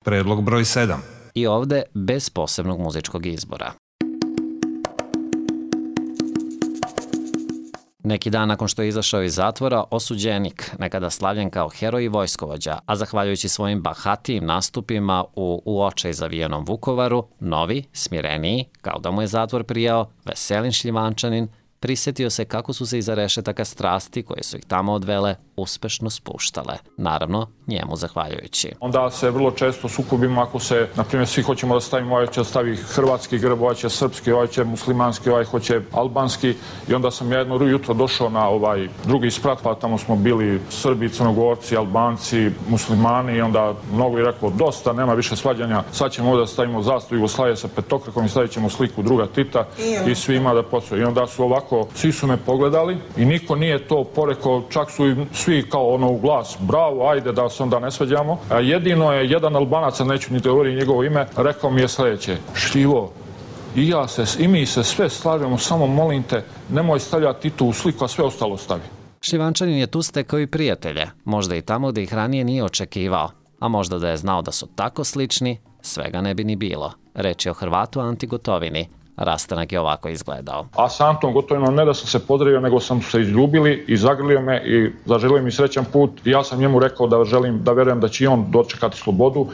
Predlog broj 7. I ovde bez posebnog muzičkog izbora. Neki dan nakon što je izašao iz zatvora, osuđenik, nekada slavljen kao heroj i vojskovođa, a zahvaljujući svojim bahatijim nastupima u očaj zavijenom Vukovaru, novi, smireniji, kao da mu je zatvor prijao, veselin Šljivančanin, prisetio se kako su se iza rešetaka strasti koje su ih tamo odvele uspešno spuštale. Naravno, njemu zahvaljujući. Onda se vrlo često sukobimo ako se, na primjer, svi hoćemo da stavimo, ovaj će stavi hrvatski grb, ovaj će srpski, ovaj će muslimanski, ovaj hoće albanski. I onda sam ja jedno jutro došao na ovaj drugi sprat, pa tamo smo bili Srbi, Crnogorci, Albanci, muslimani i onda mnogo je rekao dosta, nema više svađanja, sad ćemo ovdje da stavimo zastavu Jugoslavije sa petokrakom i stavit ćemo sliku druga Tita i svima da posvoje. I onda su ovako, svi su me pogledali i niko nije to porekao, čak su i svi kao ono u glas, bravo, ajde da se onda ne svađamo. A jedino je jedan Albanac, neću ni govoriti njegovo ime, rekao mi je sljedeće: Štivo, i mi se sve slažemo, samo molim te, nemoj stavljati Titu u sliku, a sve ostalo stavi. Šljivančanin je tu stekao i prijatelje, možda i tamo gde ih ranije nije očekivao, a možda da je znao da su tako slični, svega ne bi ni bilo. Reč je o Hrvatu Anti Gotovini. Rastanak je ovako izgledao. A sa Antom Gotovinom ne da sam se pozdravio, nego sam se izljubili i zagrlio me i zaželio mi srećan put. I ja sam njemu rekao da verujem da će i on dočekati slobodu